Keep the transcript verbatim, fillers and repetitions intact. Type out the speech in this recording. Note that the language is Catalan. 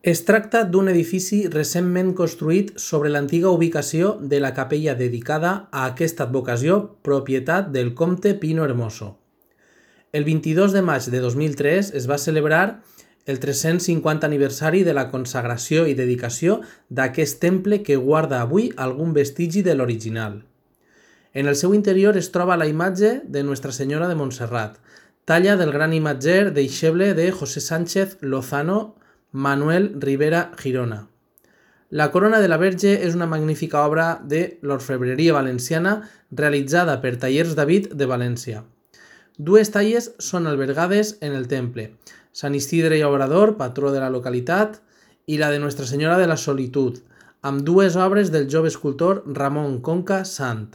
Es tracta d'un edifici recentment construït sobre l'antiga ubicació de la capella dedicada a aquesta advocació, propietat del comte Pino Hermoso. El vint-i-dos de maig de dos mil tres es va celebrar el tres-cents cinquanta aniversari de la consagració i dedicació d'aquest temple que guarda avui algun vestigi de l'original. En el seu interior es troba la imatge de Nuestra Senyora de Montserrat, talla del gran imatger deixeble de José Sánchez Lozano Manuel Rivera Girona. La corona de la Verge és una magnífica obra de l'orfebreria valenciana realitzada per Tallers David de València. Dues talles són albergades en el temple, Sant Isidre i Obrador, patró de la localitat, i la de Nuestra Senyora de la Solitud, amb dues obres del jove escultor Ramon Conca Sant.